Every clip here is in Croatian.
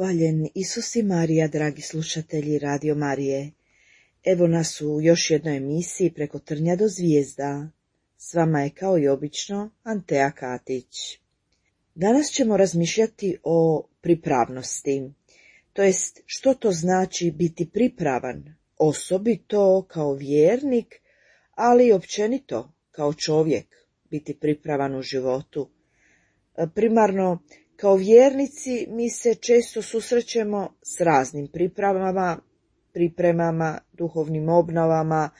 Hvaljen Isus i Marija, dragi slušatelji Radio Marije. Evo nas u još jednoj emisiji Preko trnja do zvijezda. S vama je kao i obično Antea Katić. Danas ćemo razmišljati o pripravnosti, to jest što to znači biti pripravan, osobito kao vjernik, ali i općenito kao čovjek, biti pripravan u životu. Primarno, kao vjernici mi se često susrećemo s raznim pripremama, duhovnim obnovama,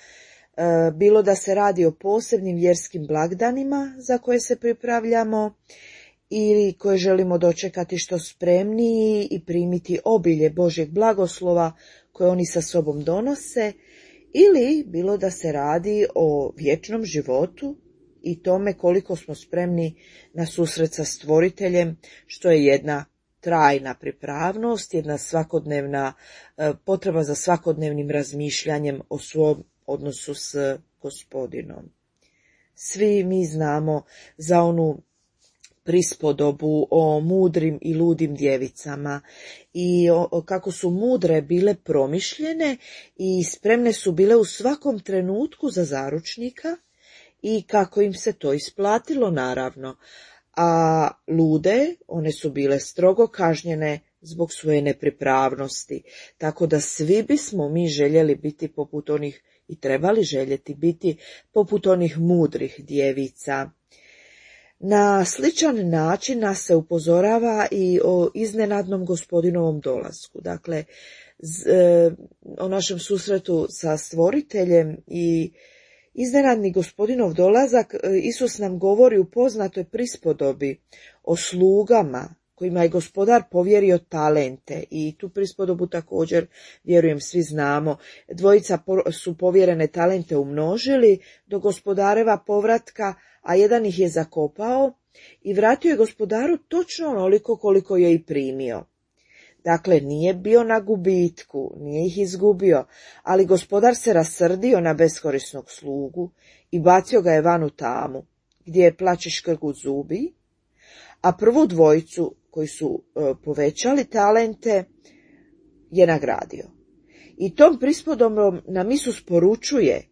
bilo da se radi o posebnim vjerskim blagdanima za koje se pripravljamo ili koje želimo dočekati što spremniji i primiti obilje Božjeg blagoslova koje oni sa sobom donose, ili bilo da se radi o vječnom životu i tome koliko smo spremni na susret sa Stvoriteljem, što je jedna trajna pripravnost, jedna svakodnevna potreba za svakodnevnim razmišljanjem o svom odnosu s Gospodinom. Svi mi znamo za onu prispodobu o mudrim i ludim djevicama i kako su mudre bile promišljene i spremne su bile u svakom trenutku za zaručnika i kako im se to isplatilo, naravno. A lude, one su bile strogo kažnjene zbog svoje nepripravnosti, tako da svi bismo mi željeli biti poput onih i trebali željeti biti poput onih mudrih djevica. Na sličan način nas se upozorava i o iznenadnom Gospodinovom dolasku, dakle o našem susretu sa Stvoriteljem i iznenadni Gospodinov dolazak. Isus nam govori u poznatoj prispodobi o slugama kojima je Gospodar povjerio talente i tu prispodobu također, vjerujem, svi znamo. Dvojica su povjerene talente umnožili do Gospodareva povratka, a jedan ih je zakopao i vratio je Gospodaru točno onoliko koliko je i primio. Dakle, nije bio na gubitku, nije ih izgubio, ali Gospodar se rasrdio na beskorisnog slugu i bacio ga je van u tamu, gdje je plač i škrgut zubi, a prvu dvojicu koji su povećali talente je nagradio. I tom prispodobom nam Isus poručuje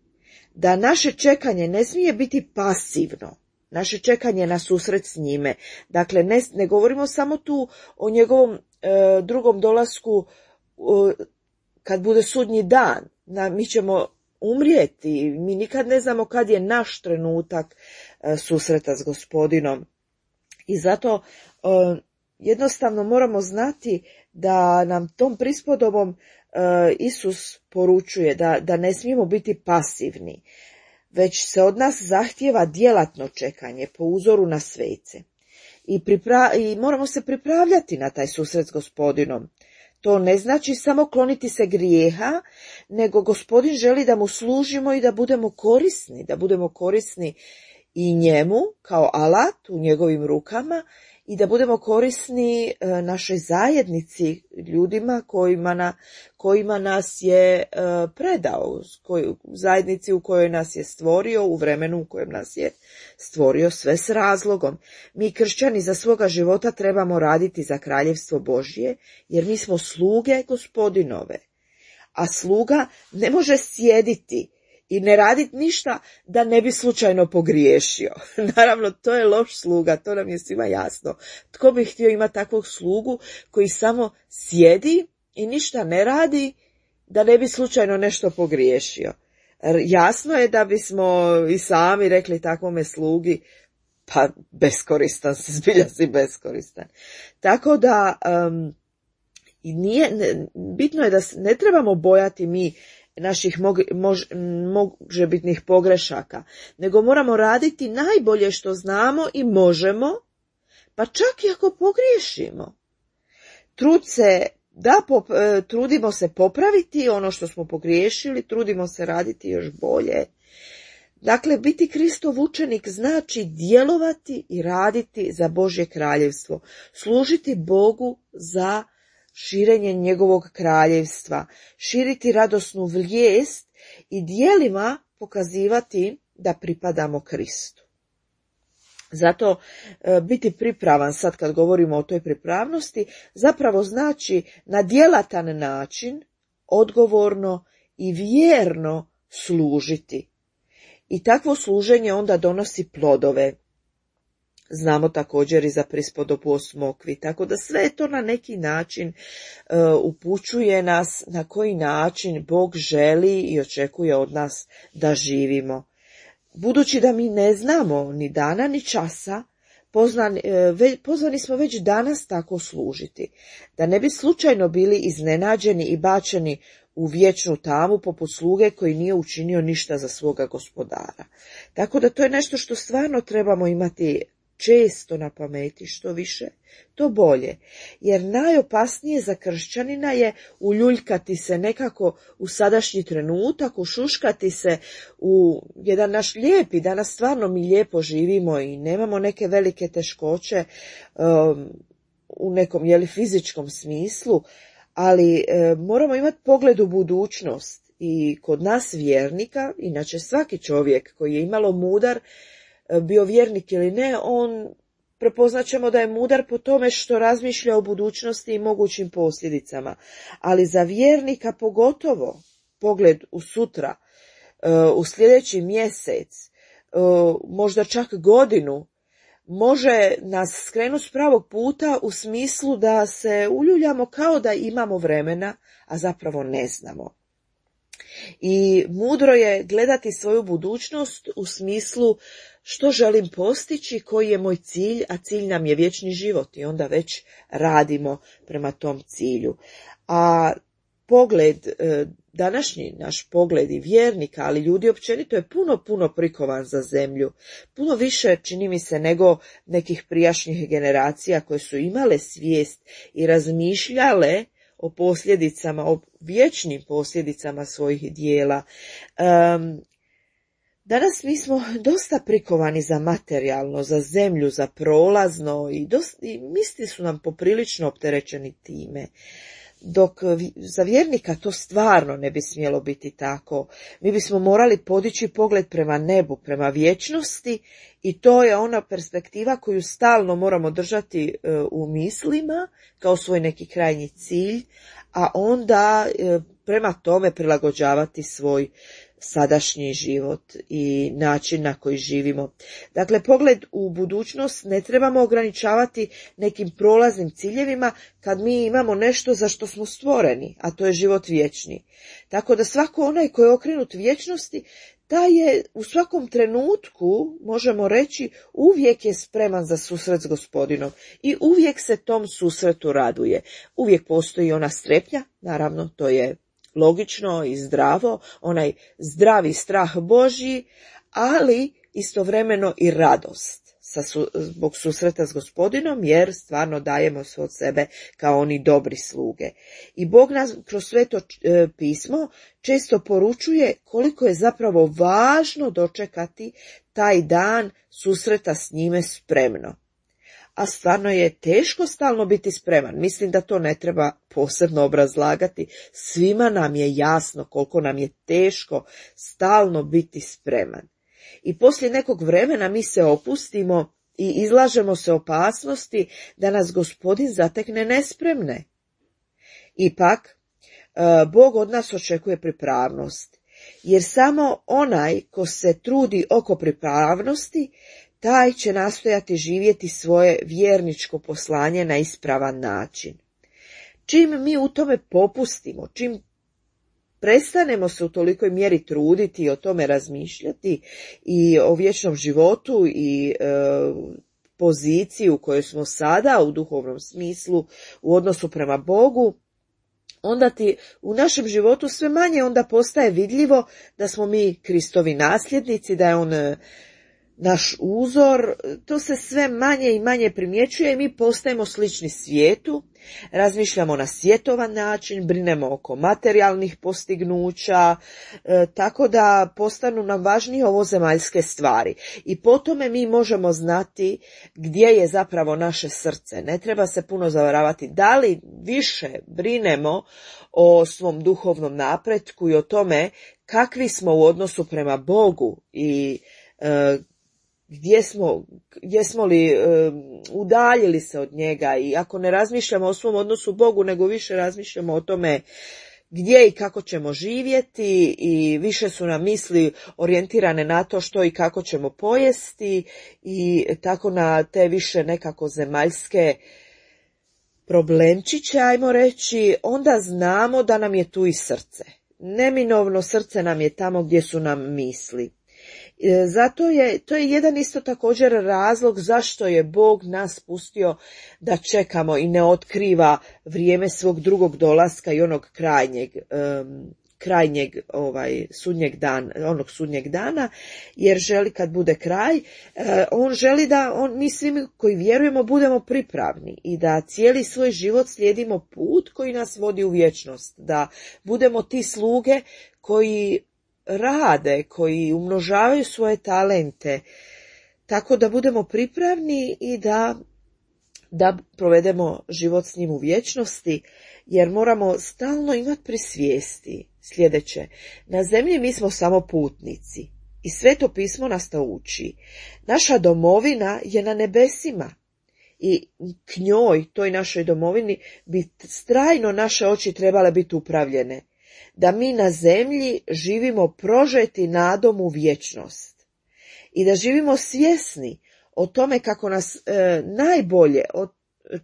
da naše čekanje ne smije biti pasivno, naše čekanje na susret s njime. Dakle, ne govorimo samo tu o njegovom drugom dolasku kad bude sudnji dan. Mi ćemo umrijeti, mi nikad ne znamo kad je naš trenutak susreta s Gospodinom. I zato jednostavno moramo znati da nam tom prispodobom Isus poručuje da ne smijemo biti pasivni, već se od nas zahtijeva djelatno čekanje po uzoru na svece. I moramo se pripravljati na taj susret s Gospodinom. To ne znači samo kloniti se grijeha, nego Gospodin želi da mu služimo i da budemo korisni i njemu kao alat u njegovim rukama i da budemo korisni našoj zajednici, ljudima kojima nas je predao, zajednici u kojoj nas je stvorio, u vremenu u kojem nas je stvorio, sve s razlogom. Mi kršćani za svoga života trebamo raditi za kraljevstvo Božje, jer mi smo sluge Gospodinove. A sluga ne može sjediti i ne raditi ništa da ne bi slučajno pogriješio. Naravno, to je loš sluga, to nam je svima jasno. Tko bi htio imati takvog slugu koji samo sjedi i ništa ne radi da ne bi slučajno nešto pogriješio? Jasno je da bismo i sami rekli takvome slugi, pa beskoristan si, zbilja si beskoristan. Tako da bitno je da ne trebamo bojati mi naših možebitnih pogrešaka, nego moramo raditi najbolje što znamo i možemo, pa čak i ako pogriješimo. Trudimo se popraviti ono što smo pogriješili, trudimo se raditi još bolje. Dakle, biti Kristov učenik znači djelovati i raditi za Božje kraljevstvo, služiti Bogu za širenje njegovog kraljevstva, širiti radosnu vijest i djelima pokazivati da pripadamo Kristu. Zato biti pripravan, sad kad govorimo o toj pripravnosti, zapravo znači na djelatan način, odgovorno i vjerno služiti. I takvo služenje onda donosi plodove. Znamo također i za prispodobu o smokvi, tako da sve to na neki način upućuje nas na koji način Bog želi i očekuje od nas da živimo. Budući da mi ne znamo ni dana ni časa, pozvani smo već danas tako služiti, da ne bi slučajno bili iznenađeni i bačeni u vječnu tamu poput sluge koji nije učinio ništa za svoga gospodara. Tako da to je nešto što stvarno trebamo imati često na pameti, što više, to bolje. Jer najopasnije za kršćanina je uljuljkati se nekako u sadašnji trenutak, ušuškati se u jedan naš lijepi, danas stvarno mi lijepo živimo i nemamo neke velike teškoće u nekom fizičkom smislu, ali moramo imati pogled u budućnost. I kod nas vjernika, inače svaki čovjek koji je imalo mudar, bio vjernik ili ne, on prepoznat ćemo da je mudar po tome što razmišlja o budućnosti i mogućim posljedicama. Ali za vjernika pogotovo pogled u sutra, u sljedeći mjesec, možda čak godinu, može nas skrenuti s pravog puta u smislu da se uljuljamo kao da imamo vremena, a zapravo ne znamo. I mudro je gledati svoju budućnost u smislu što želim postići, koji je moj cilj, a cilj nam je vječni život i onda već radimo prema tom cilju. A pogled, današnji naš pogled i vjernika, ali ljudi općenito je puno prikovan za zemlju. Puno više, čini mi se, nego nekih prijašnjih generacija koje su imale svijest i razmišljale o posljedicama, o vječnim posljedicama svojih dijela. Danas mi smo dosta prikovani za materijalno, za zemlju, za prolazno i misli su nam poprilično opterećeni time. Dok za vjernika to stvarno ne bi smjelo biti tako. Mi bismo morali podići pogled prema nebu, prema vječnosti i to je ona perspektiva koju stalno moramo držati u mislima kao svoj neki krajnji cilj, a onda prema tome prilagođavati svoj sadašnji život i način na koji živimo. Dakle, pogled u budućnost ne trebamo ograničavati nekim prolaznim ciljevima kad mi imamo nešto za što smo stvoreni, a to je život vječni. Tako da svako onaj koji je okrenut vječnosti, taj je u svakom trenutku, možemo reći, uvijek je spreman za susret s Gospodinom i uvijek se tom susretu raduje. Uvijek postoji ona strepnja, naravno to je logično i zdravo, onaj zdravi strah Božji, ali istovremeno i radost zbog susreta s Gospodinom, jer stvarno dajemo sve od sebe kao oni dobri sluge. I Bog nas kroz Sveto pismo često poručuje koliko je zapravo važno dočekati taj dan susreta s njime spremno. A stvarno je teško stalno biti spreman. Mislim da to ne treba posebno obrazlagati. Svima nam je jasno koliko nam je teško stalno biti spreman. I poslije nekog vremena mi se opustimo i izlažemo se opasnosti da nas Gospodin zatekne nespremne. Ipak, Bog od nas očekuje pripravnost, jer samo onaj ko se trudi oko pripravnosti, taj će nastojati živjeti svoje vjerničko poslanje na ispravan način. Čim mi u tome popustimo, čim prestanemo se u tolikoj mjeri truditi i o tome razmišljati i o vječnom životu i poziciji u kojoj smo sada u duhovnom smislu u odnosu prema Bogu, onda ti u našem životu sve manje onda postaje vidljivo da smo mi Kristovi nasljednici, da je on naš uzor. To se sve manje i manje primjećuje i mi postajemo slični svijetu, razmišljamo na svjetovan način, brinemo oko materijalnih postignuća, tako da postanu nam važnije ovozemaljske stvari. I po tome mi možemo znati gdje je zapravo naše srce. Ne treba se puno zavaravati da li više brinemo o svom duhovnom napretku i o tome kakvi smo u odnosu prema Bogu i jesmo li udaljili se od njega, i ako ne razmišljamo o svom odnosu Bogu, nego više razmišljamo o tome gdje i kako ćemo živjeti, i više su nam misli orijentirane na to što i kako ćemo pojesti, i tako na te više nekako zemaljske problemčiće, ajmo reći, onda znamo da nam je tu i srce. Neminovno srce nam je tamo gdje su nam misli. To je jedan isto također razlog zašto je Bog nas pustio da čekamo i ne otkriva vrijeme svog drugog dolaska i onog krajnjeg sudnjeg dana, jer želi kad bude kraj, on želi da mi svi koji vjerujemo budemo pripravni i da cijeli svoj život slijedimo put koji nas vodi u vječnost, da budemo ti sluge koji rade, koji umnožavaju svoje talente, tako da budemo pripravni i da provedemo život s njim u vječnosti, jer moramo stalno imati pri svijesti sljedeće. Na zemlji mi smo samo putnici i Sveto pismo nas to uči. Naša domovina je na nebesima i k njoj, toj našoj domovini, bi trajno naše oči trebale biti upravljene, da mi na zemlji živimo prožeti nadom u vječnost i da živimo svjesni o tome kako nas najbolje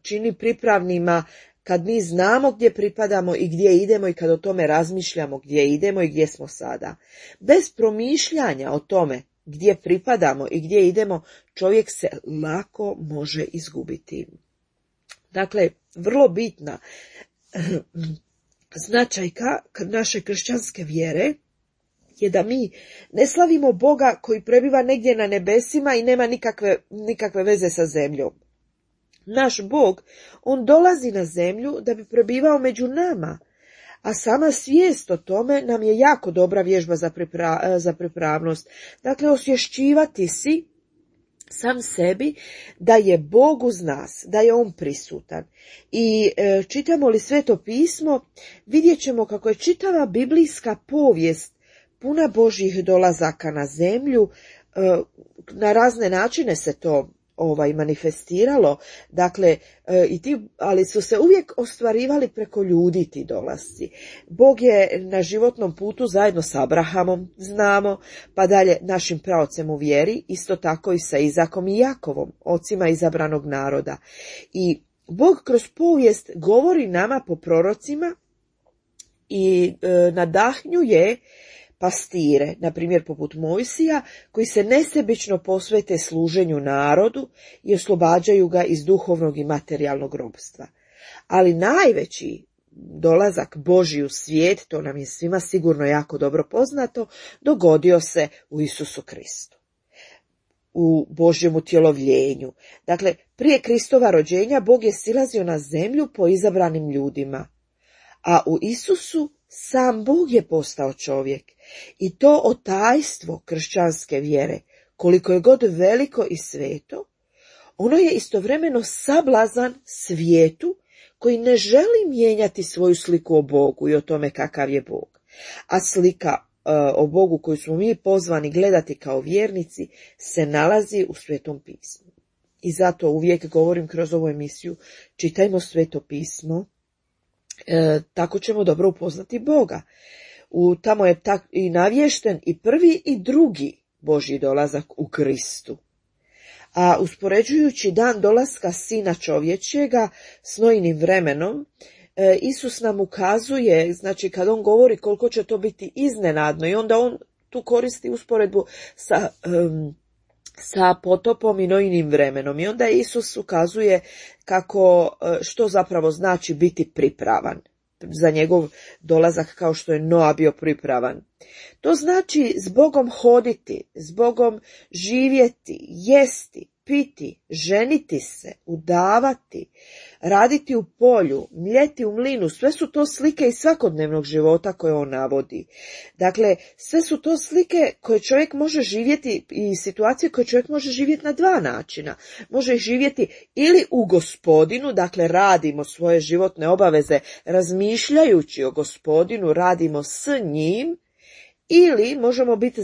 čini pripravnima kad mi znamo gdje pripadamo i gdje idemo, i kad o tome razmišljamo gdje idemo i gdje smo sada. Bez promišljanja o tome gdje pripadamo i gdje idemo, čovjek se lako može izgubiti. Dakle, vrlo bitna značajka naše kršćanske vjere je da mi ne slavimo Boga koji prebiva negdje na nebesima i nema nikakve veze sa zemljom. Naš Bog, on dolazi na zemlju da bi prebivao među nama, a sama svijest o tome nam je jako dobra vježba za pripravnost. Dakle, osvješćivati si sam sebi da je Bog uz nas, da je on prisutan. I čitamo li Sveto pismo, vidjet ćemo kako je čitava biblijska povijest puna Božjih dolazaka na zemlju. Na razne načine se to manifestiralo, dakle, ali su se uvijek ostvarivali preko ljudi ti dolasci. Bog je na životnom putu zajedno s Abrahamom, znamo, pa dalje našim praocem u vjeri, isto tako i sa Izakom i Jakovom, ocima izabranog naroda. I Bog kroz povijest govori nama po prorocima i nadahnjuje pastire, na primjer poput Mojsija, koji se nesebično posvete služenju narodu i oslobađaju ga iz duhovnog i materijalnog ropstva. Ali najveći dolazak Božji u svijet, to nam je svima sigurno jako dobro poznato, dogodio se u Isusu Kristu, u Božjem utjelovljenju. Dakle, prije Kristova rođenja Bog je silazio na zemlju po izabranim ljudima, a u Isusu sam Bog je postao čovjek. I to otajstvo kršćanske vjere, koliko je god veliko i sveto, ono je istovremeno sablazan svijetu koji ne želi mijenjati svoju sliku o Bogu i o tome kakav je Bog. A slika o Bogu koju smo mi pozvani gledati kao vjernici se nalazi u Svetom pismu. I zato uvijek govorim kroz ovu emisiju, čitajmo Sveto pismo, tako ćemo dobro upoznati Boga. Tamo je i navješten i prvi i drugi Božji dolazak u Kristu. A uspoređujući dan dolaska Sina čovječjega s Nojinim vremenom, Isus nam ukazuje, znači kad on govori koliko će to biti iznenadno, i onda on tu koristi usporedbu sa potopom i Nojinim vremenom. I onda Isus ukazuje što zapravo znači biti pripravan za njegov dolazak, kao što je Noa bio pripravan. To znači s Bogom hoditi, s Bogom živjeti, jesti, piti, ženiti se, udavati, raditi u polju, mljeti u mlinu. Sve su to slike iz svakodnevnog života koje on navodi. Dakle, sve su to slike koje čovjek može živjeti i situacije koje čovjek može živjeti na dva načina. Može živjeti ili u Gospodinu, dakle radimo svoje životne obaveze razmišljajući o Gospodinu, radimo s njim, Ili možemo biti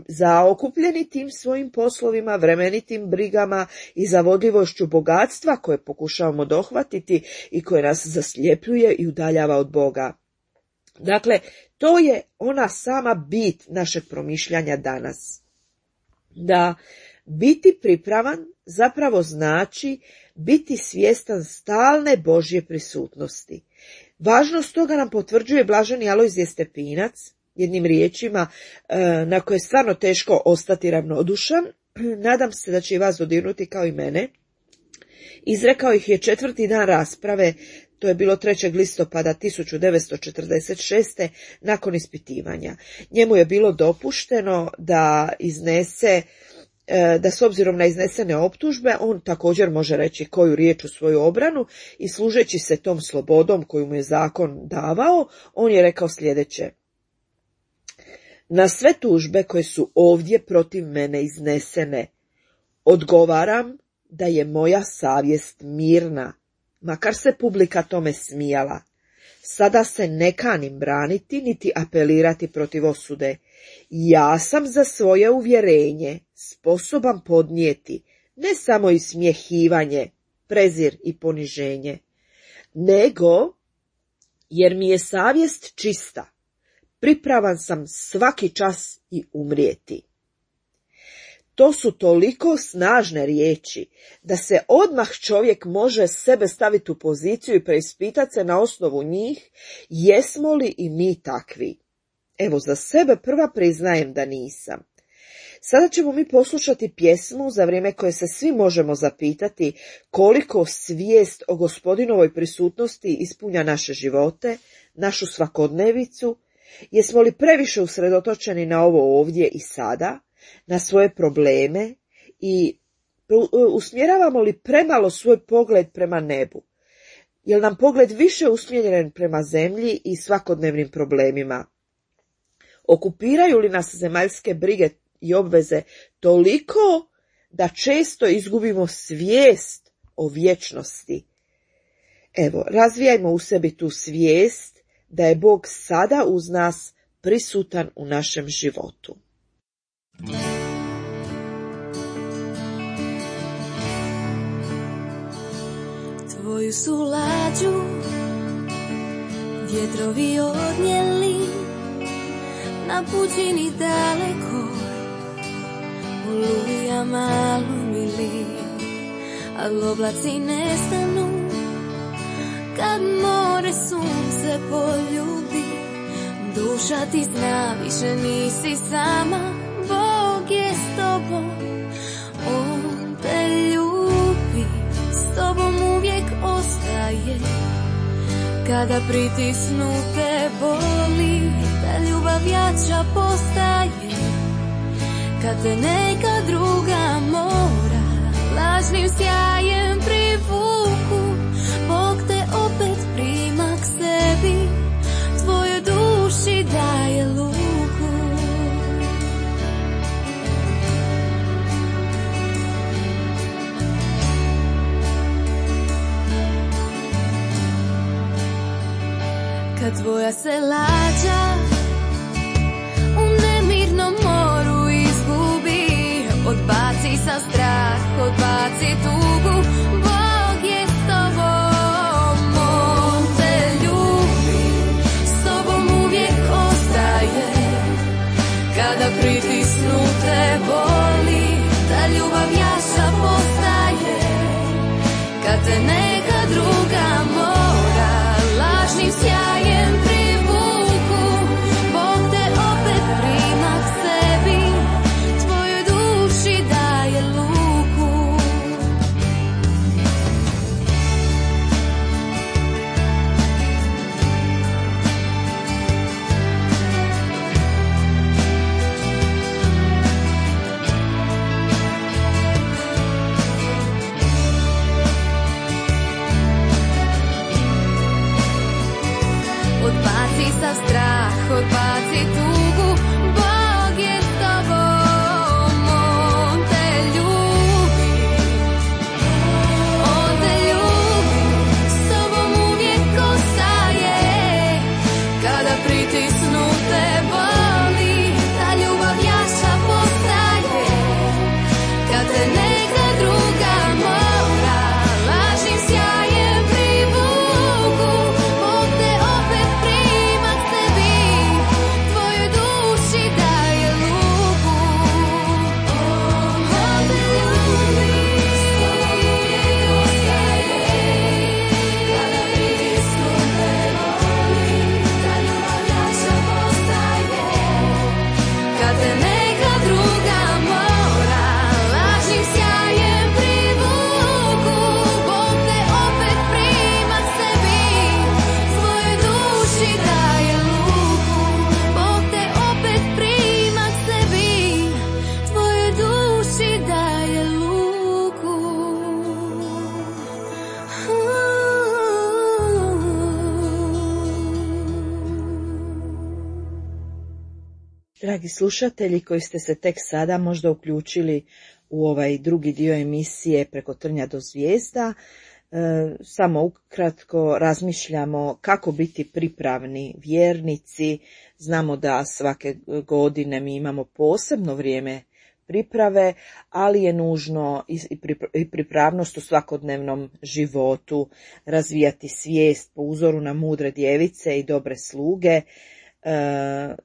zaokupljeni tim svojim poslovima, vremenitim brigama i zavodljivošću bogatstva koje pokušavamo dohvatiti i koje nas zasljepljuje i udaljava od Boga. Dakle, to je ona sama bit našeg promišljanja danas. Da biti pripravan zapravo znači biti svjestan stalne Božje prisutnosti. Važnost toga nam potvrđuje blaženi Alojzije Stepinac, jednim riječima na koje je stvarno teško ostati ravnodušan. Nadam se da će i vas dodirnuti kao i mene. Izrekao ih je 4. dan rasprave, to je bilo 3. listopada 1946. nakon ispitivanja. Njemu je bilo dopušteno da iznese, da s obzirom na iznesene optužbe, on također može reći koju riječ u svoju obranu i služeći se tom slobodom koju mu je zakon davao, on je rekao sljedeće: na sve tužbe koje su ovdje protiv mene iznesene, odgovaram da je moja savjest mirna, makar se publika tome smijala. Sada se ne kanim braniti niti apelirati protiv osude. Ja sam za svoje uvjerenje sposoban podnijeti ne samo ismjehivanje, prezir i poniženje, nego, jer mi je savjest čista, pripravan sam svaki čas i umrijeti. To su toliko snažne riječi da se odmah čovjek može sebe staviti u poziciju i preispitati se na osnovu njih, jesmo li i mi takvi. Evo, za sebe prva priznajem da nisam. Sada ćemo mi poslušati pjesmu za vrijeme koje se svi možemo zapitati koliko svijest o Gospodinovoj prisutnosti ispunja naše živote, našu svakodnevicu. Jesmo li previše usredotočeni na ovo ovdje i sada, na svoje probleme i usmjeravamo li premalo svoj pogled prema nebu? Je li nam pogled više usmjeren prema zemlji i svakodnevnim problemima? Okupiraju li nas zemaljske brige i obveze toliko da često izgubimo svijest o vječnosti? Evo, razvijajmo u sebi tu svijest da je Bog sada uz nas prisutan u našem životu. Tvoju su lađu vjetrovi odnijeli na pučini daleko, olujama lumili, al oblaci nestanu kad more sunce poljubi. Duša ti zna, više nisi sama, Bog je s tobom, On te ljubi, s tobom uvijek ostaje. Kada pritisnu te boli, ta ljubav jača postaje. Kad te neka druga mora lažnim sjajem privuku, Bog te opet prima k sebi, tvojoj duši daje luku. Kad tvoja se lađa u nemirnom moru izgubi, odbaci sa strah, odbaci tugu, Bog je s tobom, On te ljubi, s tobom uvijek ostaje. Kada pritisnu te boli, ta ljubav jača postaje. Kad te neka druga mora lažnim sjajem privuku, Bog te opet prima k sebi, tvojoj duši daje luku. Dragi slušatelji koji ste se tek sada možda uključili u ovaj drugi dio emisije Preko trnja do zvijezda, samo ukratko razmišljamo kako biti pripravni vjernici. Znamo da svake godine mi imamo posebno vrijeme priprave, ali je nužno i pripravnost u svakodnevnom životu, razvijati svijest po uzoru na mudre djevice i dobre sluge.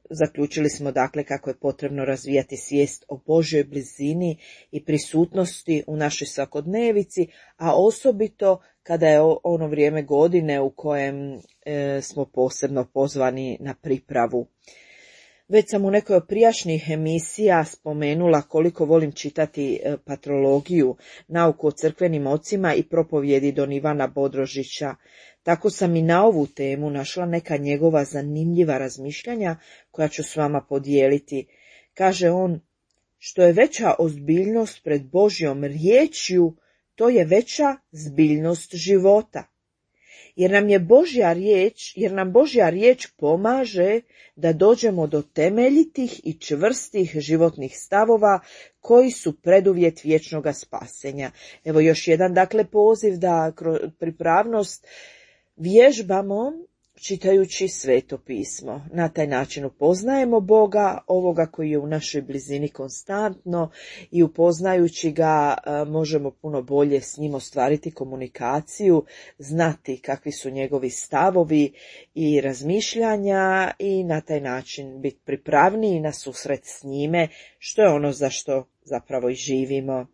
Zaključili smo dakle kako je potrebno razvijati svijest o Božjoj blizini i prisutnosti u našoj svakodnevici, a osobito kada je ono vrijeme godine u kojem smo posebno pozvani na pripravu. Već sam u nekoj od prijašnjih emisija spomenula koliko volim čitati patrologiju, nauku o crkvenim ocima i propovjedi don Ivana Bodrožića. Tako sam i na ovu temu našla neka njegova zanimljiva razmišljanja koja ću s vama podijeliti. Kaže on, što je veća ozbiljnost pred Božjom riječju, to je veća zbiljnost života. Jer nam Božja riječ pomaže da dođemo do temeljitih i čvrstih životnih stavova koji su preduvjet vječnoga spasenja. Evo još jedan dakle poziv da kroz pripravnost vježbamo čitajući Sveto pismo. Na taj način upoznajemo Boga, ovoga koji je u našoj blizini konstantno, i upoznajući ga možemo puno bolje s njim ostvariti komunikaciju, znati kakvi su njegovi stavovi i razmišljanja i na taj način biti pripravniji na susret s njime, što je ono za što zapravo i živimo.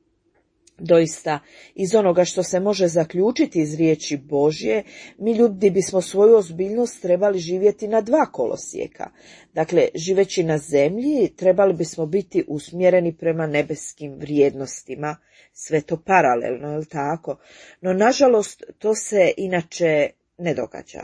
Doista, iz onoga što se može zaključiti iz riječi Božje, mi ljudi bismo svoju ozbiljnost trebali živjeti na dva kolosijeka. Dakle, živeći na zemlji, trebali bismo biti usmjereni prema nebeskim vrijednostima, sve to paralelno, je li tako? No, nažalost, to se inače ne događa.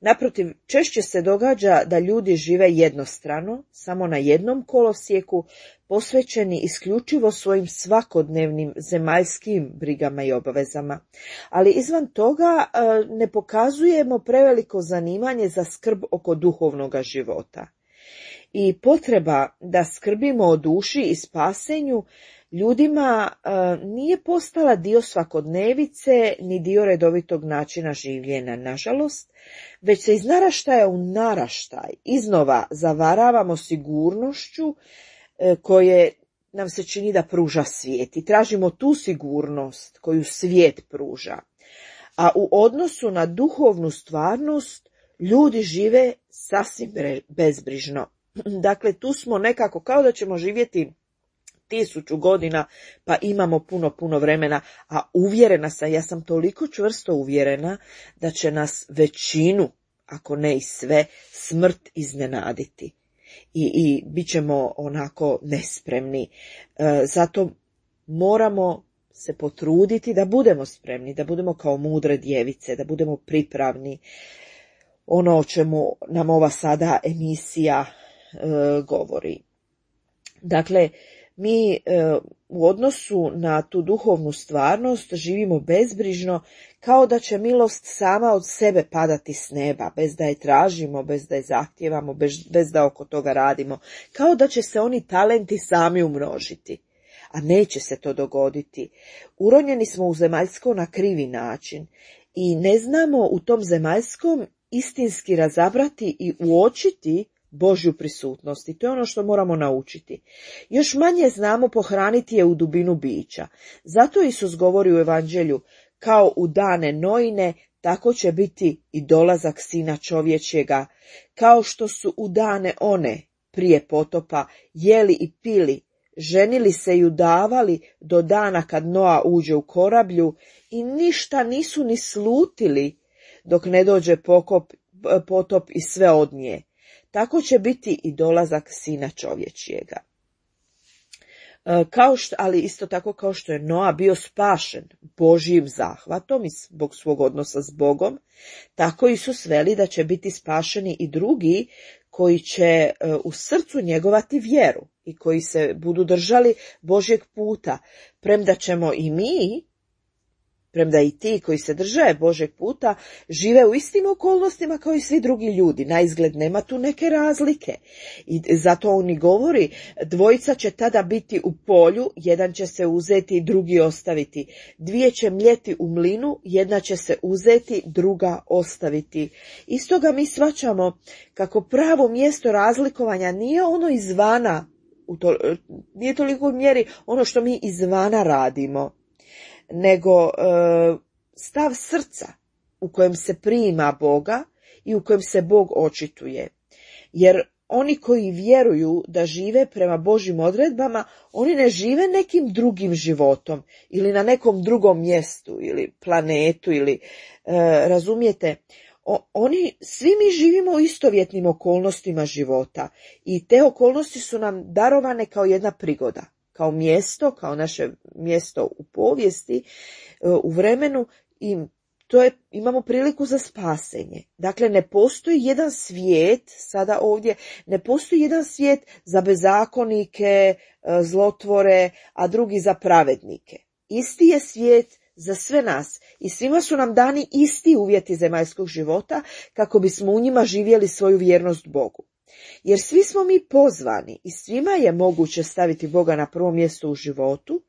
Naprotiv, češće se događa da ljudi žive jednostrano, samo na jednom kolosijeku, posvećeni isključivo svojim svakodnevnim zemaljskim brigama i obavezama. Ali izvan toga ne pokazujemo preveliko zanimanje za skrb oko duhovnoga života. I potreba da skrbimo o duši i spasenju ljudima nije postala dio svakodnevice ni dio redovitog načina življenja, nažalost, već se iz naraštaja u naraštaj iznova zavaravamo sigurnošću koje nam se čini da pruža svijet i tražimo tu sigurnost koju svijet pruža. A u odnosu na duhovnu stvarnost ljudi žive sasvim bezbrižno. Dakle, tu smo nekako kao da ćemo živjeti 1000 godina, pa imamo puno vremena, a uvjerena sam, ja sam toliko čvrsto uvjerena da će nas većinu, ako ne i sve, smrt iznenaditi. I bit ćemo onako nespremni. Zato moramo se potruditi da budemo spremni, da budemo kao mudre djevice, da budemo pripravni. Ono o čemu nam ova sada emisija govori. Dakle, mi u odnosu na tu duhovnu stvarnost živimo bezbrižno, kao da će milost sama od sebe padati s neba, bez da je tražimo, bez da je zahtijevamo, bez da oko toga radimo, kao da će se oni talenti sami umnožiti. A neće se to dogoditi. Uronjeni smo u zemaljsko na krivi način i ne znamo u tom zemaljskom istinski razabrati i uočiti Božju prisutnost, i to je ono što moramo naučiti. Još manje znamo pohraniti je u dubinu bića. Zato Isus govori u Evanđelju, kao u dane Noine, tako će biti i dolazak Sina čovječjega. Kao što su u dane one, prije potopa, jeli i pili, ženili se i udavali do dana kad Noa uđe u korablju i ništa nisu ni slutili dok ne dođe potop i sve odnije. Tako će biti i dolazak Sina čovječjega. Ali isto tako kao što je Noa bio spašen Božjim zahvatom i zbog svog odnosa s Bogom, tako Isus veli da će biti spašeni i drugi koji će u srcu njegovati vjeru i koji se budu držali Božjeg puta, premda ćemo i mi Premda i ti koji se drže Božeg puta žive u istim okolnostima kao i svi drugi ljudi. Naizgled nema tu neke razlike. I zato on i govori, dvojica će tada biti u polju, jedan će se uzeti, drugi ostaviti. Dvije će mljeti u mlinu, jedna će se uzeti, druga ostaviti. Iz toga mi shvaćamo kako pravo mjesto razlikovanja nije ono izvana, nije toliko u mjeri ono što mi izvana radimo, nego stav srca u kojem se prima Boga i u kojem se Bog očituje. Jer oni koji vjeruju da žive prema Božjim odredbama, oni ne žive nekim drugim životom ili na nekom drugom mjestu ili planetu ili razumijete, svi mi živimo u istovjetnim okolnostima života i te okolnosti su nam darovane kao jedna prigoda, kao mjesto, kao naše mjesto u povijesti, u vremenu, i imamo priliku za spasenje. Dakle, ne postoji jedan svijet, sada ovdje, ne postoji jedan svijet za bezakonike, zlotvore, a drugi za pravednike. Isti je svijet za sve nas i svima su nam dani isti uvjeti zemaljskog života kako bismo u njima živjeli svoju vjernost Bogu. Jer svi smo mi pozvani i svima je moguće staviti Boga na prvo mjesto u životu,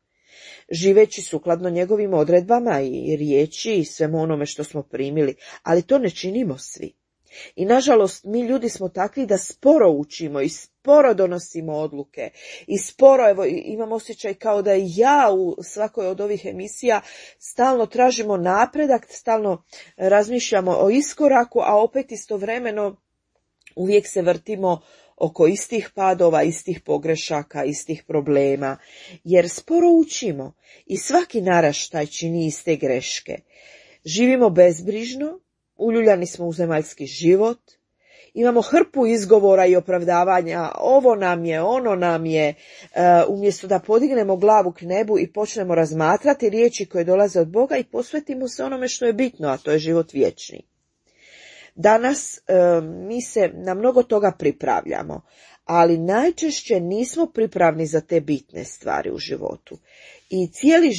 živeći sukladno njegovim odredbama i riječi i svemu onome što smo primili, ali to ne činimo svi. I nažalost mi ljudi smo takvi da sporo učimo i sporo donosimo odluke i sporo, evo imam osjećaj kao da i ja u svakoj od ovih emisija stalno tražimo napredak, stalno razmišljamo o iskoraku, a opet istovremeno uvijek se vrtimo oko istih padova, istih pogrešaka, istih problema, jer sporo učimo i svaki naraštaj čini iste greške. Živimo bezbrižno, uljuljani smo u zemaljski život, imamo hrpu izgovora i opravdavanja, ovo nam je, ono nam je, umjesto da podignemo glavu k nebu i počnemo razmatrati riječi koje dolaze od Boga i posvetimo se onome što je bitno, a to je život vječni. Danas mi se na mnogo toga pripravljamo, ali najčešće nismo pripravni za te bitne stvari u životu. I cijeli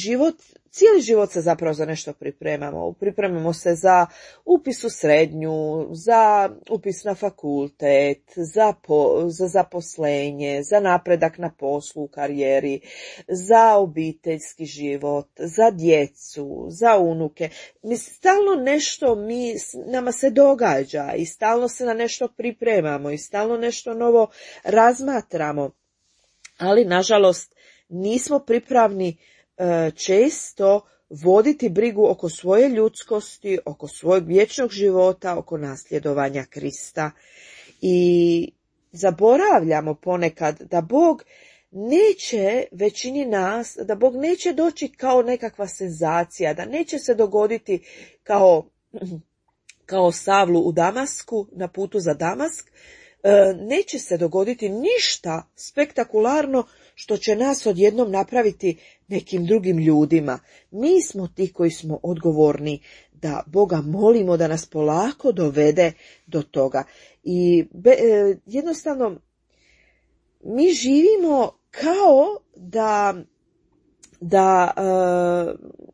život se zapravo za nešto pripremamo. Pripremamo se za upis u srednju, za upis na fakultet, za zaposlenje, za napredak na poslu, u karijeri, za obiteljski život, za djecu, za unuke. Stalno nešto nama se događa i stalno se na nešto pripremamo i stalno nešto novo razmatramo. Ali, nažalost, nismo pripravni često voditi brigu oko svoje ljudskosti, oko svojeg vječnog života, oko nasljedovanja Krista. I zaboravljamo ponekad da Bog neće većini nas, da Bog neće doći kao nekakva senzacija, da neće se dogoditi kao Savlu u Damasku, na putu za Damask, neće se dogoditi ništa spektakularno što će nas odjednom napraviti nekim drugim ljudima. Mi smo ti koji smo odgovorni da Boga molimo da nas polako dovede do toga. I jednostavno mi živimo kao da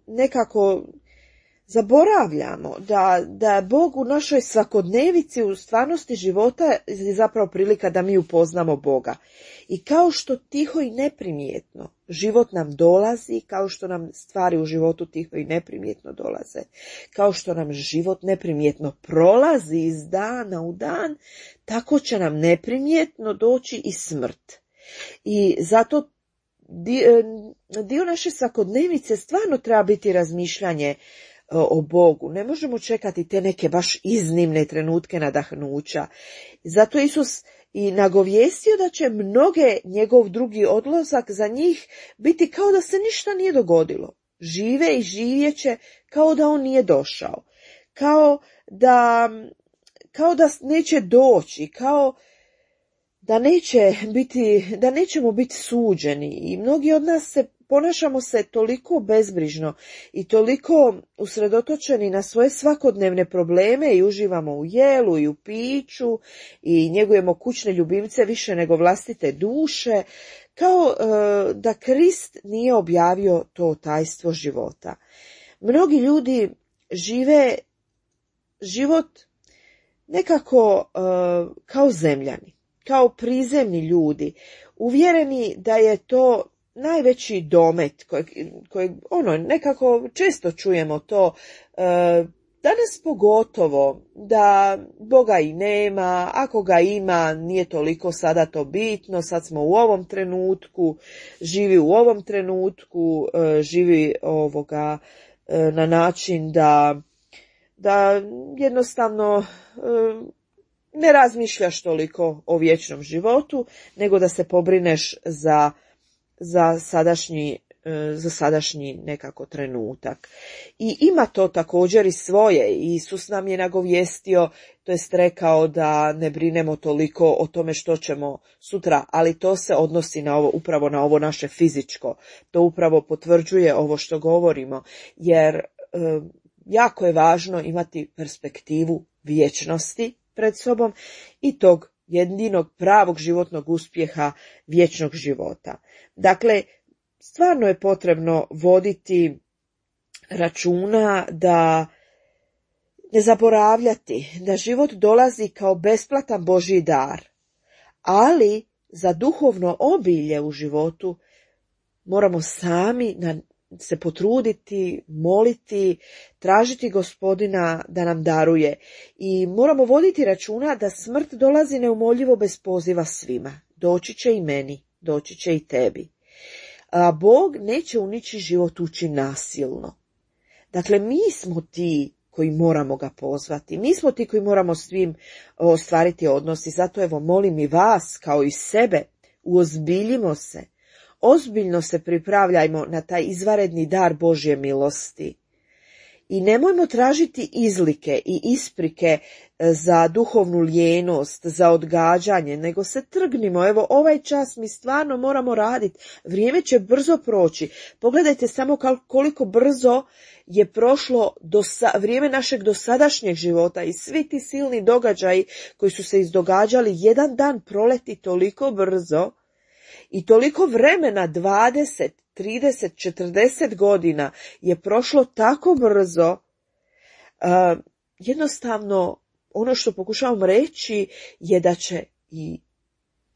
nekako zaboravljamo da je Bog u našoj svakodnevici, u stvarnosti života je zapravo prilika da mi upoznamo Boga. I kao što tiho i neprimjetno život nam dolazi, kao što nam stvari u životu tiho i neprimjetno dolaze, kao što nam život neprimjetno prolazi iz dana u dan, tako će nam neprimjetno doći i smrt. I zato dio naše svakodnevice stvarno treba biti razmišljanje o Bogu. Ne možemo čekati te neke baš iznimne trenutke nadahnuća. Zato Isus i nagovijestio da će mnoge njegov drugi odlazak za njih biti kao da se ništa nije dogodilo. Žive i živjeće kao da on nije došao. Kao da neće doći, kao da nećemo biti suđeni. I mnogi od nas ponašamo se toliko bezbrižno i toliko usredotočeni na svoje svakodnevne probleme i uživamo u jelu i u piću i njegujemo kućne ljubimce više nego vlastite duše, kao da Krist nije objavio to tajstvo života. Mnogi ljudi žive život nekako kao zemljani, kao prizemni ljudi, uvjereni da je to najveći domet kojeg nekako često čujemo to, danas pogotovo, da Boga i nema, ako ga ima nije toliko sada to bitno, sad smo u ovom trenutku, živi u ovom trenutku, živi na način da jednostavno ne razmišljaš toliko o vječnom životu, nego da se pobrineš za sadašnji nekako trenutak. I ima to također i svoje. Isus nam je nagovijestio, to jest rekao da ne brinemo toliko o tome što ćemo sutra, ali to se odnosi upravo na ovo naše fizičko. To upravo potvrđuje ovo što govorimo, jer jako je važno imati perspektivu vječnosti pred sobom i tog jedinog pravog životnog uspjeha vječnog života. Dakle, stvarno je potrebno voditi računa da ne zaboravljati da život dolazi kao besplatan Božji dar, ali za duhovno obilje u životu moramo sami se potruditi, moliti, tražiti Gospodina da nam daruje i moramo voditi računa da smrt dolazi neumoljivo bez poziva svima. Doći će i meni, doći će i tebi. A Bog neće u ničiji život ući nasilno. Dakle, mi smo ti koji moramo ga pozvati. Mi smo ti koji moramo s svim ostvariti odnos i zato evo molim i vas kao i sebe, uozbiljimo se. Ozbiljno se pripravljajmo na taj izvanredni dar Božje milosti. I nemojmo tražiti izlike i isprike za duhovnu lijenost, za odgađanje, nego se trgnimo. Evo, ovaj čas mi stvarno moramo raditi. Vrijeme će brzo proći. Pogledajte samo koliko brzo je prošlo vrijeme našeg dosadašnjeg života i svi ti silni događaji koji su se izdogađali. Jedan dan proleti toliko brzo i toliko vremena, 20, 30, 40 godina je prošlo tako brzo. Jednostavno, ono što pokušavam reći je da će i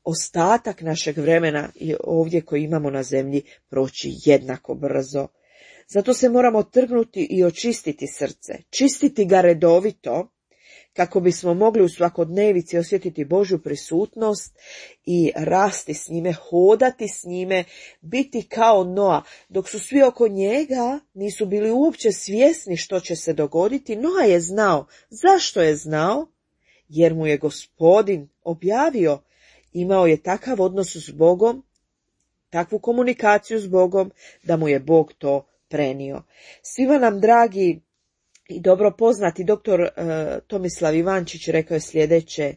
ostatak našeg vremena ovdje koji imamo na zemlji proći jednako brzo. Zato se moramo trgnuti i očistiti srce, čistiti ga redovito, kako bismo mogli u svakodnevici osjetiti Božju prisutnost i rasti s njime, hodati s njime, biti kao Noa. Dok su svi oko njega nisu bili uopće svjesni što će se dogoditi, Noa je znao. Zašto je znao? Jer mu je Gospodin objavio. Imao je takav odnos s Bogom, takvu komunikaciju s Bogom, da mu je Bog to prenio. Svima nam, dragi i dobro poznati doktor Tomislav Ivančić rekao je sljedeće: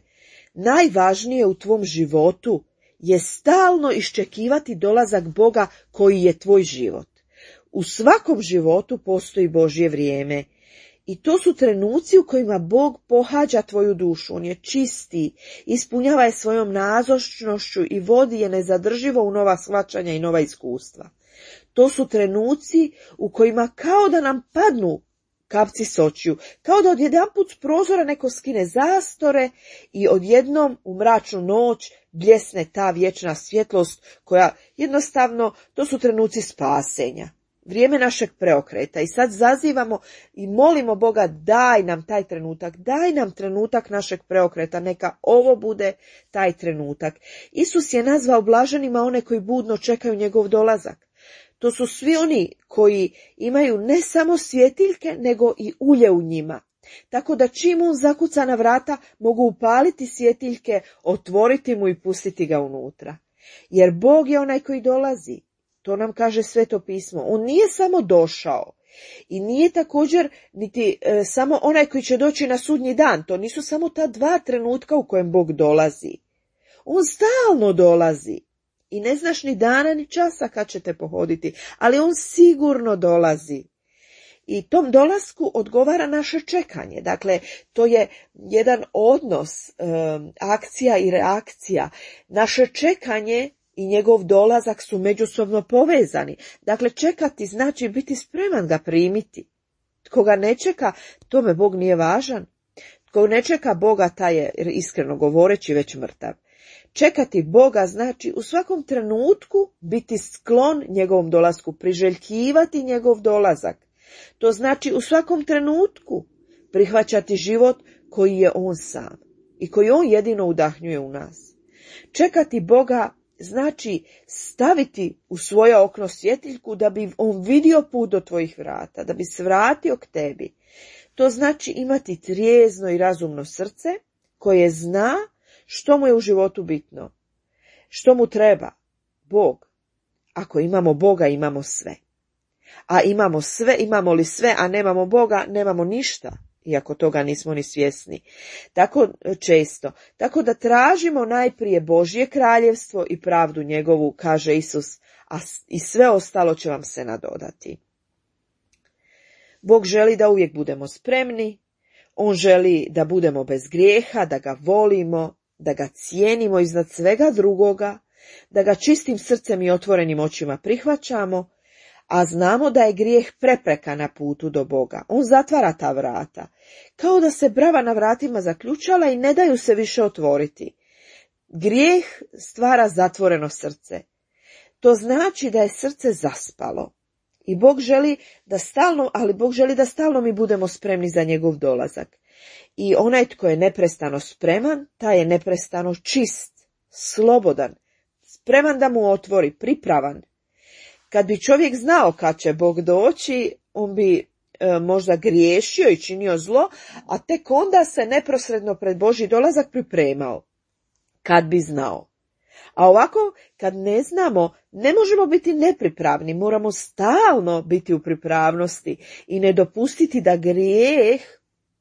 najvažnije u tvom životu je stalno iščekivati dolazak Boga koji je tvoj život. U svakom životu postoji Božje vrijeme i to su trenuci u kojima Bog pohađa tvoju dušu. On je čisti, ispunjava je svojom nazočnošću i vodi je nezadrživo u nova shvaćanja i nova iskustva. To su trenuci u kojima kao da nam padnu kapci s očiju, kao da odjedanput s prozora neko skine zastore i odjednom u mračnu noć bljesne ta vječna svjetlost koja jednostavno, to su trenuci spasenja. Vrijeme našeg preokreta i sad zazivamo i molimo Boga, daj nam taj trenutak, daj nam trenutak našeg preokreta, neka ovo bude taj trenutak. Isus je nazvao blaženima one koji budno čekaju njegov dolazak. To su svi oni koji imaju ne samo svjetiljke, nego i ulje u njima. Tako da čim on zakuca na vrata, mogu upaliti svjetiljke, otvoriti mu i pustiti ga unutra. Jer Bog je onaj koji dolazi. To nam kaže Sveto pismo. On nije samo došao i nije također niti samo onaj koji će doći na sudnji dan. To nisu samo ta dva trenutka u kojem Bog dolazi. On stalno dolazi. I ne znaš ni dana ni časa kad će te pohoditi, ali on sigurno dolazi. I tom dolasku odgovara naše čekanje. Dakle, to je jedan odnos, akcija i reakcija. Naše čekanje i njegov dolazak su međusobno povezani. Dakle, čekati znači biti spreman ga primiti. Tko ga ne čeka, tome Bog nije važan. Tko ne čeka Boga, taj je, iskreno govoreći, već mrtav. Čekati Boga znači u svakom trenutku biti sklon njegovom dolasku, priželjkivati njegov dolazak. To znači u svakom trenutku prihvaćati život koji je on sam i koji on jedino udahnjuje u nas. Čekati Boga znači staviti u svoje okno svjetiljku da bi on vidio put do tvojih vrata, da bi se vratio k tebi. To znači imati trijezno i razumno srce koje zna što mu je u životu bitno, što mu treba. Bog. Ako imamo Boga, imamo sve. A imamo li sve, a nemamo Boga, nemamo ništa, iako toga nismo ni svjesni. Tako često. Tako da tražimo najprije Božje kraljevstvo i pravdu njegovu, kaže Isus, a i sve ostalo će vam se nadodati. Bog želi da uvijek budemo spremni, on želi da budemo bez grijeha, da ga volimo, da ga cijenimo iznad svega drugoga, da ga čistim srcem i otvorenim očima prihvaćamo, a znamo da je grijeh prepreka na putu do Boga. On zatvara ta vrata, kao da se brava na vratima zaključala i ne daju se više otvoriti. Grijeh stvara zatvoreno srce. To znači da je srce zaspalo. I Bog želi da stalno mi budemo spremni za njegov dolazak. I onaj tko je neprestano spreman, taj je neprestano čist, slobodan, spreman da mu otvori, pripravan. Kad bi čovjek znao kad će Bog doći, on bi možda griješio i činio zlo, a tek onda se neposredno pred Božji dolazak pripremao. Kad bi znao. A ovako, kad ne znamo, ne možemo biti nepripravni, moramo stalno biti u pripravnosti i ne dopustiti da grijeh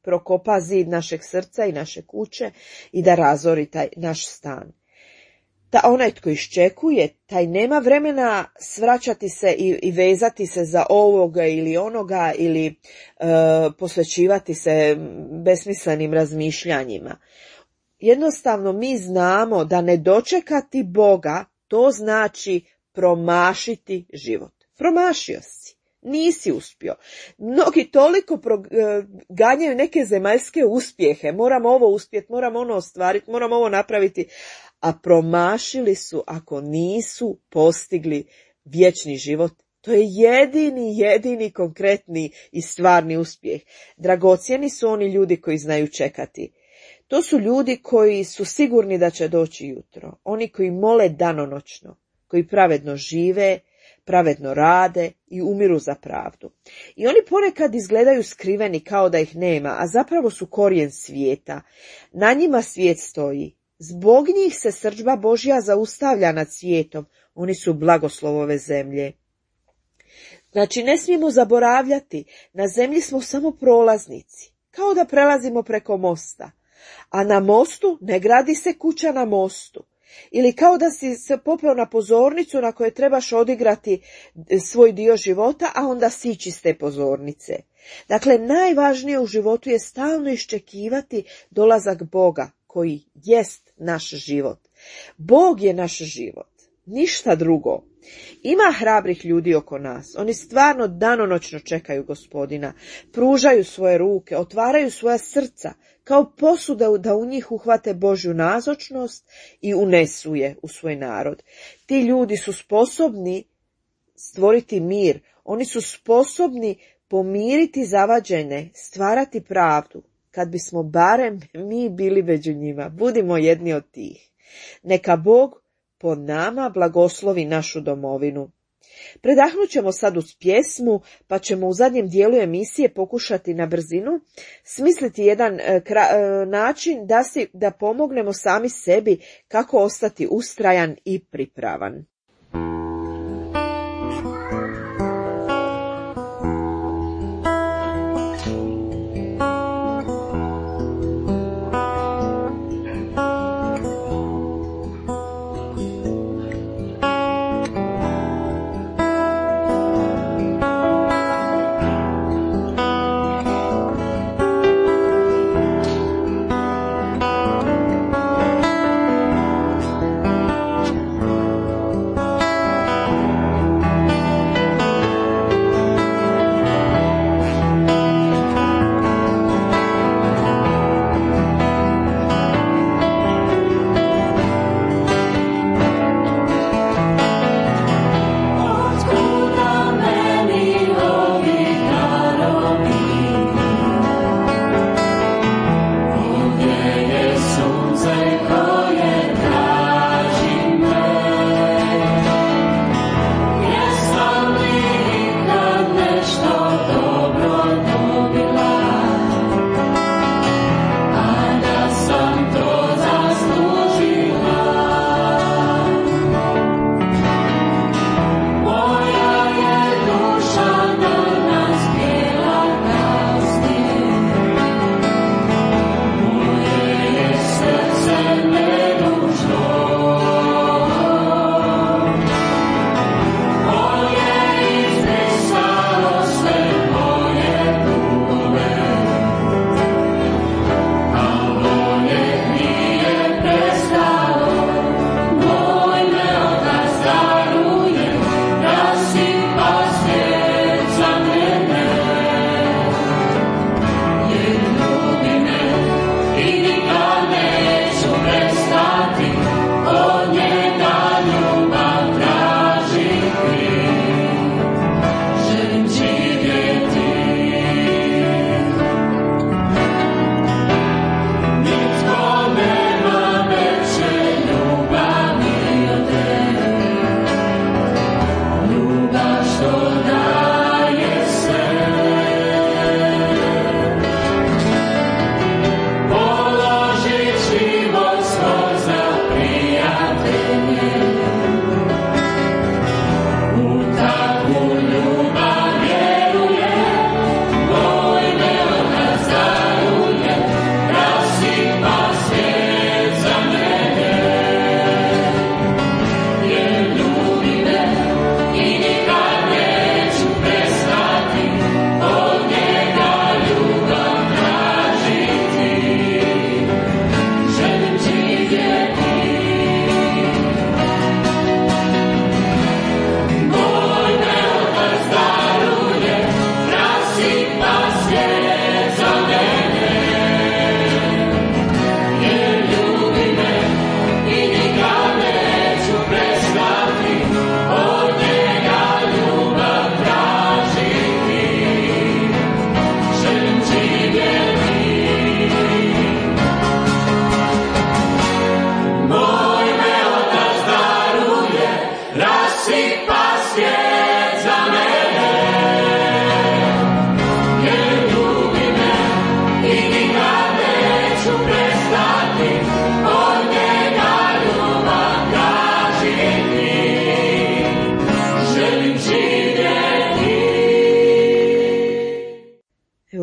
prokopa zid našeg srca i naše kuće i da razori taj naš stan. Onaj tko iščekuje, taj nema vremena svraćati se i vezati se za ovoga ili onoga ili posvećivati se besmislenim razmišljanjima. Jednostavno mi znamo da ne dočekati Boga, to znači promašiti život. Promašio si, nisi uspio. Mnogi toliko ganjaju neke zemaljske uspjehe, moram ovo uspjeti, moram ono ostvariti, moram ovo napraviti, a promašili su ako nisu postigli vječni život. To je jedini konkretni i stvarni uspjeh. Dragocjeni su oni ljudi koji znaju čekati. To su ljudi koji su sigurni da će doći jutro. Oni koji mole danonoćno, koji pravedno žive, pravedno rade i umiru za pravdu. I oni ponekad izgledaju skriveni kao da ih nema, a zapravo su korijen svijeta. Na njima svijet stoji. Zbog njih se srdžba Božja zaustavlja nad svijetom. Oni su blagoslov ove zemlje. Znači, ne smijemo zaboravljati, na zemlji smo samo prolaznici, kao da prelazimo preko mosta. A na mostu ne gradi se kuća na mostu. Ili kao da si se popeo na pozornicu na kojoj trebaš odigrati svoj dio života, a onda sići s te pozornice. Dakle, najvažnije u životu je stalno iščekivati dolazak Boga, koji jest naš život. Bog je naš život, ništa drugo. Ima hrabrih ljudi oko nas, oni stvarno danonoćno čekaju Gospodina, pružaju svoje ruke, otvaraju svoja srca, kao posuda da u njih uhvate Božju nazočnost i unesu je u svoj narod. Ti ljudi su sposobni stvoriti mir, oni su sposobni pomiriti zavađene, stvarati pravdu. Kad bismo barem mi bili među njima, budimo jedni od tih. Neka Bog po nama blagoslovi našu domovinu. Predahnut ćemo sad uz pjesmu, pa ćemo u zadnjem dijelu emisije pokušati na brzinu smisliti jedan način da pomognemo sami sebi kako ostati ustrajan i pripravan.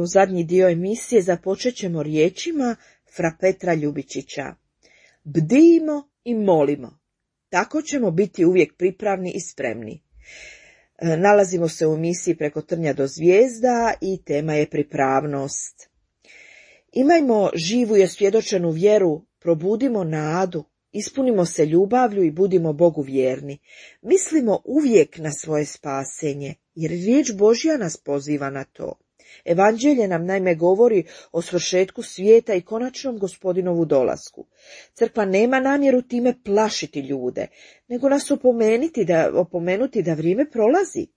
Evo, zadnji dio emisije započet ćemo riječima fra Petra Ljubičića. Bdijmo i molimo. Tako ćemo biti uvijek pripravni i spremni. Nalazimo se u emisiji Preko trnja do zvijezda i tema je pripravnost. Imajmo živu i osvjedočenu vjeru, probudimo nadu, ispunimo se ljubavlju i budimo Bogu vjerni. Mislimo uvijek na svoje spasenje, jer riječ Božja nas poziva na to. Evanđelje nam naime govori o svršetku svijeta i konačnom Gospodinovu dolasku. Crkva nema namjeru time plašiti ljude, nego nas opomenuti da vrijeme prolazi.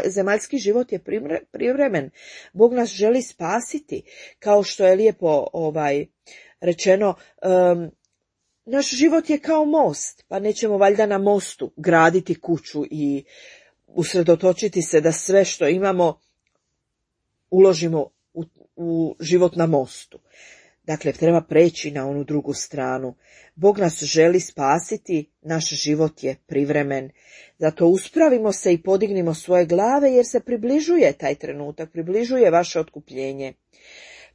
Zemaljski život je privremen. Bog nas želi spasiti, kao što je lijepo rečeno, naš život je kao most, pa nećemo valjda na mostu graditi kuću i usredotočiti se da sve što imamo uložimo u život na mostu. Dakle, treba preći na onu drugu stranu. Bog nas želi spasiti, naš život je privremen. Zato uspravimo se i podignimo svoje glave, jer se približuje taj trenutak, približuje vaše otkupljenje.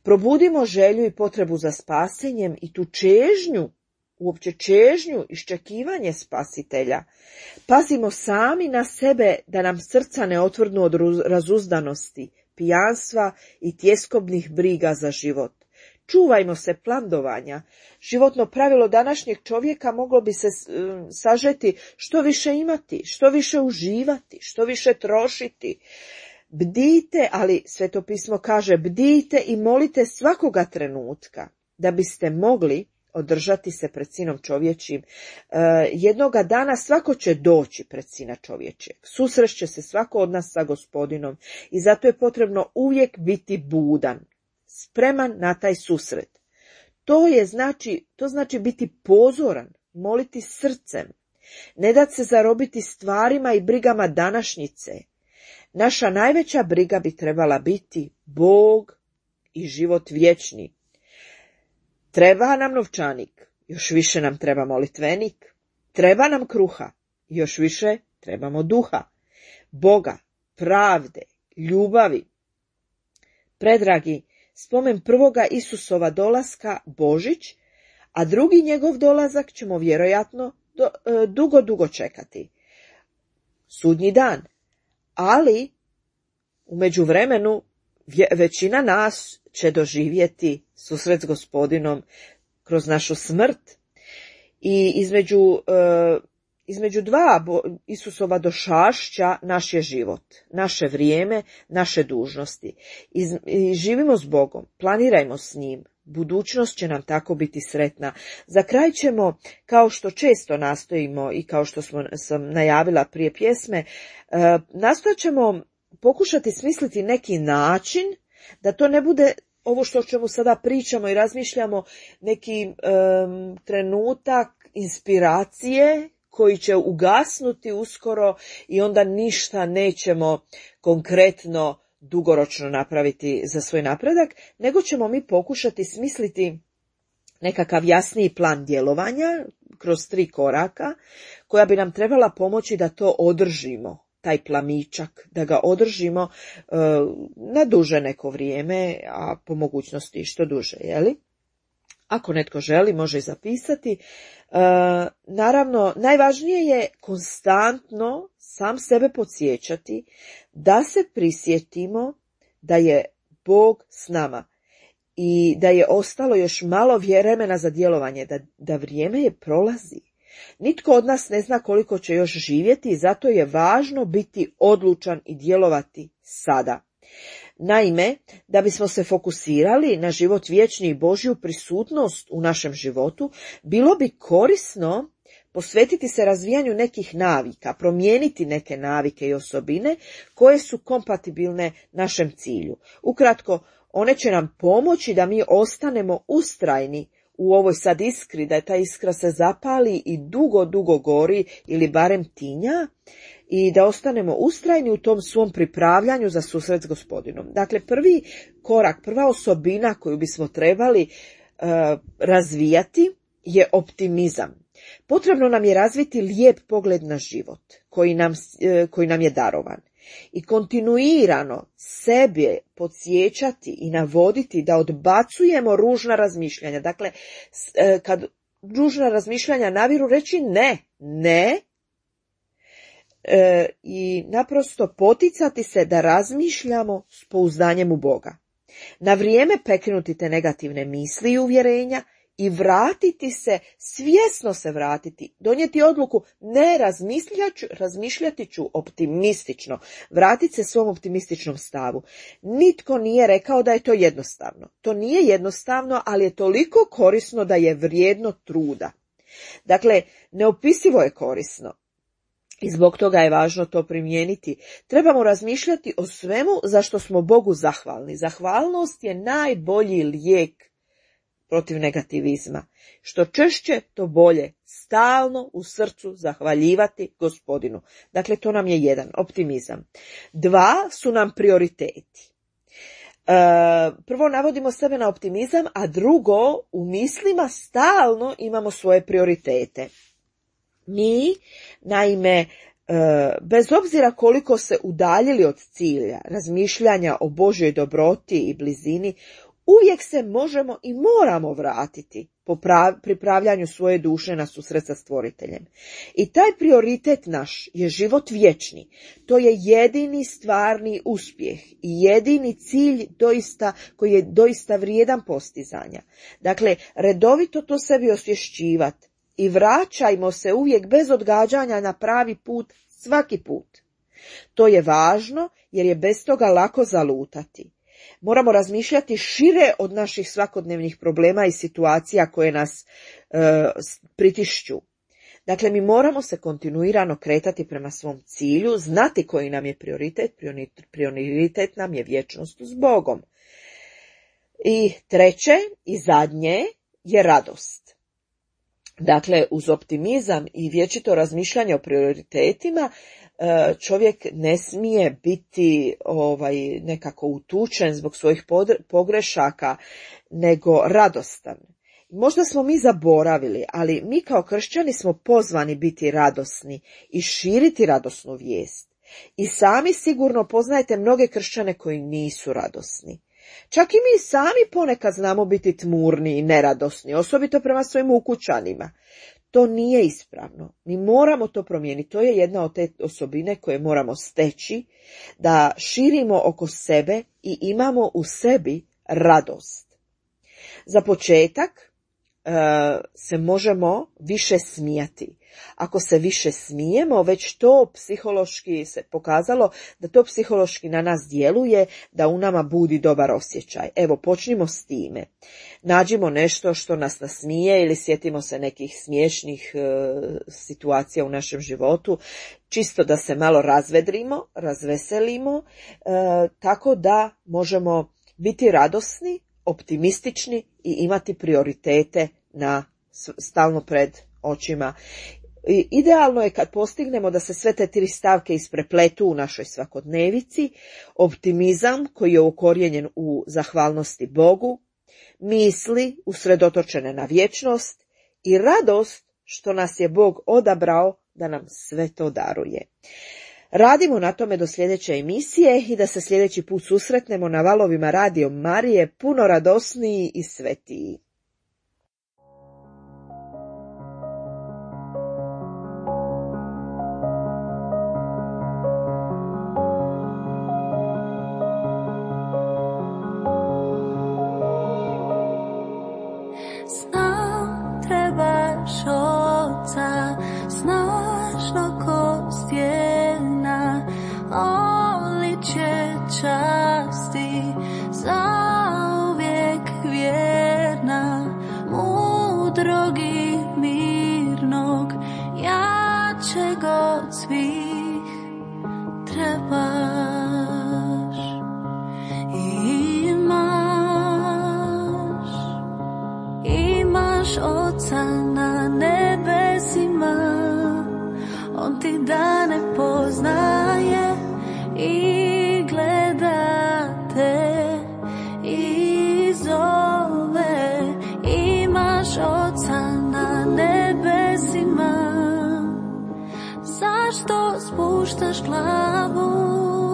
Probudimo želju i potrebu za spasenjem i tu čežnju, uopće čežnju, iščekivanje spasitelja. Pazimo sami na sebe da nam srca ne otvrdnu od razuzdanosti, pijanstva i tjeskobnih briga za život. Čuvajmo se plandovanja. Životno pravilo današnjeg čovjeka moglo bi se sažeti što više imati, što više uživati, što više trošiti. Bdijte, ali Sveto pismo kaže bdijte i molite svakoga trenutka da biste mogli održati se pred sinom čovječim. Jednoga dana svako će doći pred sina čovječeg. Susrešće se svako od nas sa Gospodinom i zato je potrebno uvijek biti budan, spreman na taj susret. To znači biti pozoran, moliti srcem, ne dati se zarobiti stvarima i brigama današnjice. Naša najveća briga bi trebala biti Bog i život vječni. Treba nam novčanik, još više nam treba molitvenik. Treba nam kruha, još više trebamo duha, Boga, pravde, ljubavi. Predragi, spomen prvoga Isusova dolaska, Božić, a drugi njegov dolazak ćemo vjerojatno dugo čekati. Sudnji dan. Ali u međuvremenu većina nas će doživjeti susret s Gospodinom kroz našu smrt i između dva Isusova došašća naš je život, naše vrijeme, naše dužnosti. I živimo s Bogom, planirajmo s njim, budućnost će nam tako biti sretna. Za kraj ćemo, kao što često nastojimo i kao što sam najavila prije pjesme, nastojat ćemo pokušati smisliti neki način da to ne bude ovo što o čemu sada pričamo i razmišljamo, neki trenutak inspiracije koji će ugasnuti uskoro i onda ništa nećemo konkretno dugoročno napraviti za svoj napredak, nego ćemo mi pokušati smisliti nekakav jasniji plan djelovanja kroz 3 koraka koja bi nam trebala pomoći da to održimo, taj plamičak, da ga održimo na duže neko vrijeme, a po mogućnosti što duže, jeli? Ako netko želi, može i zapisati. Naravno, najvažnije je konstantno sam sebe podsjećati da se prisjetimo da je Bog s nama i da je ostalo još malo vremena za djelovanje, da vrijeme je prolazi. Nitko od nas ne zna koliko će još živjeti i zato je važno biti odlučan i djelovati sada. Naime, da bismo se fokusirali na život vječni i Božju prisutnost u našem životu, bilo bi korisno posvetiti se razvijanju nekih navika, promijeniti neke navike i osobine koje su kompatibilne našem cilju. Ukratko, one će nam pomoći da mi ostanemo ustrajni u ovoj sad iskri, da ta iskra se zapali i dugo gori ili barem tinja i da ostanemo ustrajni u tom svom pripravljanju za susret s Gospodinom. Dakle, prvi korak, prva osobina koju bismo trebali razvijati je optimizam. Potrebno nam je razviti lijep pogled na život koji nam je darovan. i kontinuirano sebe podsjećati i navoditi da odbacujemo ružna razmišljanja. Dakle, kad ružna razmišljanja naviru, reći ne, i naprosto poticati se da razmišljamo s pouzdanjem u Boga. Na vrijeme prekinuti te negativne misli i uvjerenja i vratiti se, svjesno se vratiti, donijeti odluku, ne razmišljati ću optimistično, vratiti se svom optimističnom stavu. Nitko nije rekao da je to jednostavno. To nije jednostavno, ali je toliko korisno da je vrijedno truda. Dakle, neopisivo je korisno. I zbog toga je važno to primijeniti. Trebamo razmišljati o svemu za što smo Bogu zahvalni. Zahvalnost je najbolji lijek protiv negativizma. Što češće, to bolje. Stalno u srcu zahvaljivati Gospodinu. Dakle, to nam je 1, optimizam. 2 su nam prioriteti. Prvo navodimo sebe na optimizam, a drugo, u mislima stalno imamo svoje prioritete. Mi, naime, bez obzira koliko se udaljili od cilja, razmišljanja o Božjoj dobroti i blizini, uvijek se možemo i moramo vratiti po pripravljanju svoje duše na susret sa Stvoriteljem. I taj prioritet naš je život vječni. To je jedini stvarni uspjeh i jedini cilj koji je doista vrijedan postizanja. Dakle, redovito to sebi osvješćivati i vraćajmo se uvijek bez odgađanja na pravi put svaki put. To je važno jer je bez toga lako zalutati. Moramo razmišljati šire od naših svakodnevnih problema i situacija koje nas pritišću. Dakle, mi moramo se kontinuirano kretati prema svom cilju, znati koji nam je prioritet. Prioritet nam je vječnost s Bogom. I 3. i zadnje je radost. Dakle, uz optimizam i vječito razmišljanje o prioritetima, čovjek ne smije biti nekako utučen zbog svojih pogrešaka, nego radostan. Možda smo mi zaboravili, ali mi kao kršćani smo pozvani biti radosni i širiti radosnu vijest. I sami sigurno poznajete mnoge kršćane koji nisu radosni. Čak i mi sami ponekad znamo biti tmurni i neradosni, osobito prema svojim ukućanima. To nije ispravno. Mi moramo to promijeniti. To je jedna od te osobine koje moramo steći, da širimo oko sebe i imamo u sebi radost. Za početak se možemo više smijati. Ako se više smijemo, već to psihološki se pokazalo da to psihološki na nas djeluje, da u nama budi dobar osjećaj. Evo, počnimo s time. Nađimo nešto što nas nasmije ili sjetimo se nekih smiješnih situacija u našem životu, čisto da se malo razvedrimo, razveselimo, tako da možemo biti radosni, optimistični i imati prioritete stalno pred očima. Idealno je kad postignemo da se sve te 3 stavke isprepletu u našoj svakodnevici: optimizam koji je ukorijenjen u zahvalnosti Bogu, misli usredotočene na vječnost i radost što nas je Bog odabrao da nam sve to daruje. Radimo na tome do sljedeće emisije i da se sljedeći put susretnemo na valovima Radio Marije puno radosniji i svetiji. Znam, trebaš Oca, snažno ko stijena, oličje časti, zauvijek vjerna, mudrog i mirnog, jačeg od svih trebaš. Imaš Oca na nebesima, on ti dane poznaje i gleda te i zove. Imaš Oca na nebesima, zašto spuštaš glavu?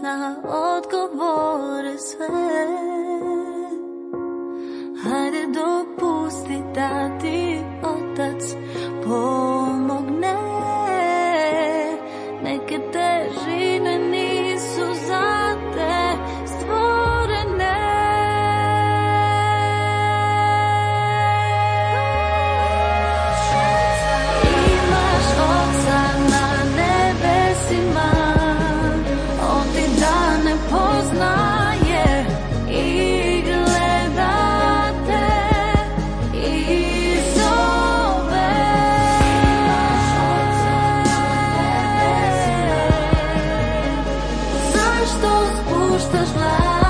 zna odgovore sve. Hajde dopusti da ti Otac pomogne. Neke težine nisu za te stvorene. Imaš Oca na nebesima, On ti dane poznaje i gleda te i zove. Zašto spuštaš glas?